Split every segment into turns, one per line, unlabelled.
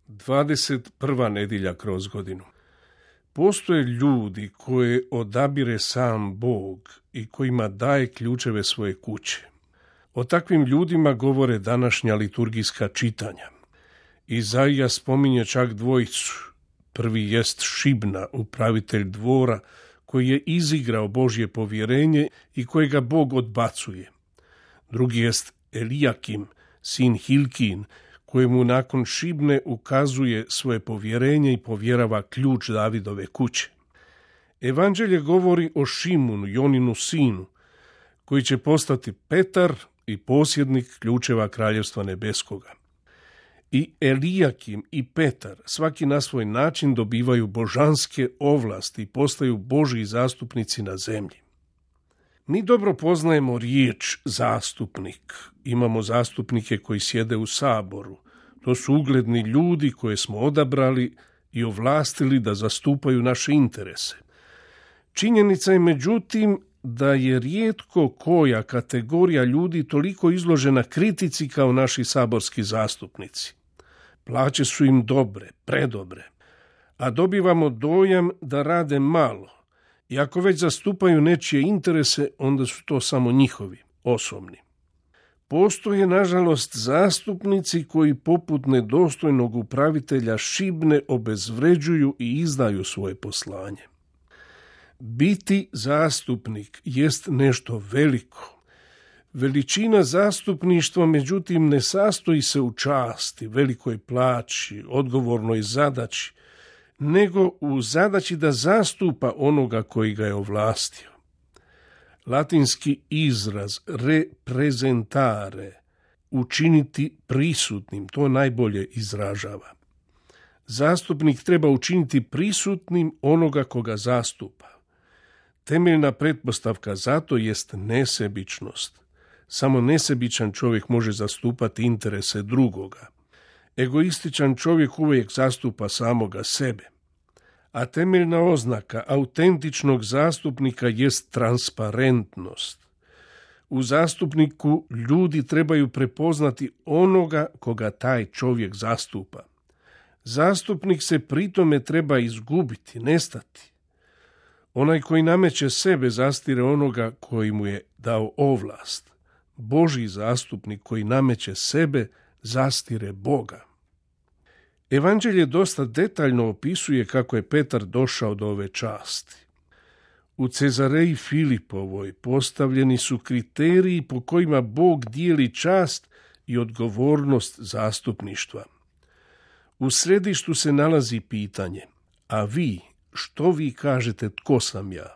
21. nedjelja kroz godinu. Postoje ljudi koje odabire sam Bog i kojima daje ključeve svoje kuće. O takvim ljudima govore današnja liturgijska čitanja. Izaija spominje čak dvojicu. Prvi jest Šibna, upravitelj dvora, koji je izigrao Božje povjerenje i kojega Bog odbacuje. Drugi jest Elijakim, sin Hilkin, kojemu nakon Šibne ukazuje svoje povjerenje i povjerava ključ Davidove kuće. Evanđelje govori o Šimunu, Joninu sinu, koji će postati Petar i posjednik ključeva Kraljevstva nebeskoga. I Elijakim i Petar svaki na svoj način dobivaju božanske ovlasti i postaju Božji zastupnici na zemlji. Mi dobro poznajemo riječ zastupnik. Imamo zastupnike koji sjede u saboru. To su ugledni ljudi koje smo odabrali i ovlastili da zastupaju naše interese. Činjenica je međutim da je rijetko koja kategorija ljudi toliko izložena kritici kao naši saborski zastupnici. Plaće su im dobre, predobre, a dobivamo dojam da rade malo. I ako već zastupaju nečije interese, onda su to samo njihovi, osobni. Postoje, nažalost, zastupnici koji poput nedostojnog upravitelja Šibne obezvređuju i izdaju svoje poslanje. Biti zastupnik jest nešto veliko. Veličina zastupništva, međutim, ne sastoji se u časti, velikoj plaći, odgovornoj zadaći, nego u zadaći da zastupa onoga koji ga je ovlastio. Latinski izraz reprezentare, učiniti prisutnim, to najbolje izražava. Zastupnik treba učiniti prisutnim onoga koga zastupa. Temeljna pretpostavka zato jest nesebičnost. Samo nesebičan čovjek može zastupati interese drugoga. Egoističan čovjek uvijek zastupa samoga sebe. A temeljna oznaka autentičnog zastupnika jest transparentnost. U zastupniku ljudi trebaju prepoznati onoga koga taj čovjek zastupa. Zastupnik se pritome treba izgubiti, nestati. Onaj koji nameće sebe zastire onoga koji mu je dao ovlast. Božji zastupnik koji nameće sebe zastire Boga. Evanđelje dosta detaljno opisuje kako je Petar došao do ove časti. U Cezareji Filipovoj postavljeni su kriteriji po kojima Bog dijeli čast i odgovornost zastupništva. U središtu se nalazi pitanje, a vi, što vi kažete tko sam ja?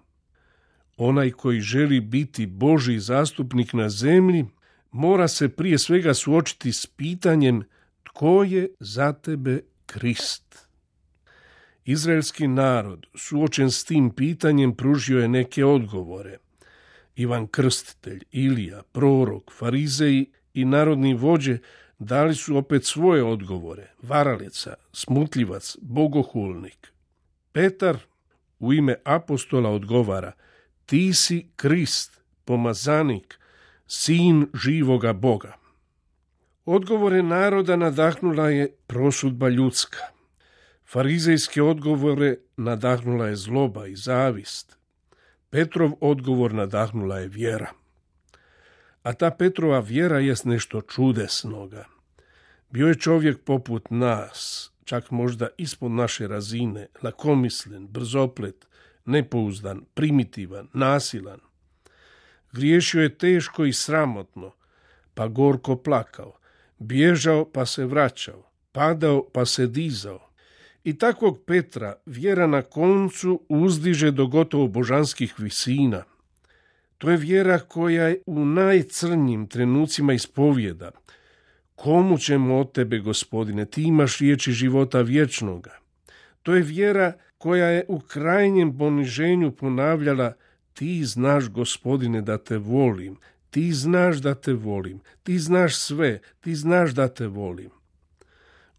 Onaj koji želi biti Božji zastupnik na zemlji mora se prije svega suočiti s pitanjem tko je za tebe Krist. Izraelski narod suočen s tim pitanjem pružio je neke odgovore. Ivan Krstitelj, Ilija, prorok, farizeji i narodni vođe dali su opet svoje odgovore. Varalica, smutljivac, bogohulnik. Petar u ime apostola odgovara: ti si Krist, pomazanik, sin živoga Boga. Odgovore naroda nadahnula je prosudba ljudska. Farizejske odgovore nadahnula je zloba i zavist. Petrov odgovor nadahnula je vjera. A ta Petrova vjera jest nešto čudesnoga. Bio je čovjek poput nas, čak možda ispod naše razine, lakomislen, brzoplet, nepouzdan, primitivan, nasilan. Griješio je teško i sramotno, pa gorko plakao, bježao pa se vraćao, padao pa se dizao. I takvog Petra vjera na koncu uzdiže do gotovo božanskih visina. To je vjera koja je u najcrnjim trenucima ispovijeda: komu ćemo od tebe, Gospodine, ti imaš riječi života vječnoga. To je vjera koja je u krajnjem poniženju ponavljala: ti znaš, Gospodine, da te volim, ti znaš da te volim, ti znaš sve, ti znaš da te volim.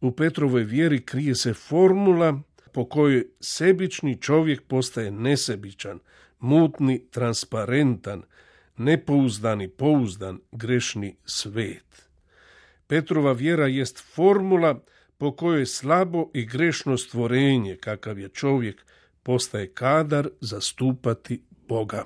U Petrovoj vjeri krije se formula po kojoj sebični čovjek postaje nesebičan, mutni, transparentan, nepouzdani, pouzdan, grešni svet. Petrova vjera jest formula po kojoj slabo i grešno stvorenje, kakav je čovjek, postaje kadar zastupati Boga.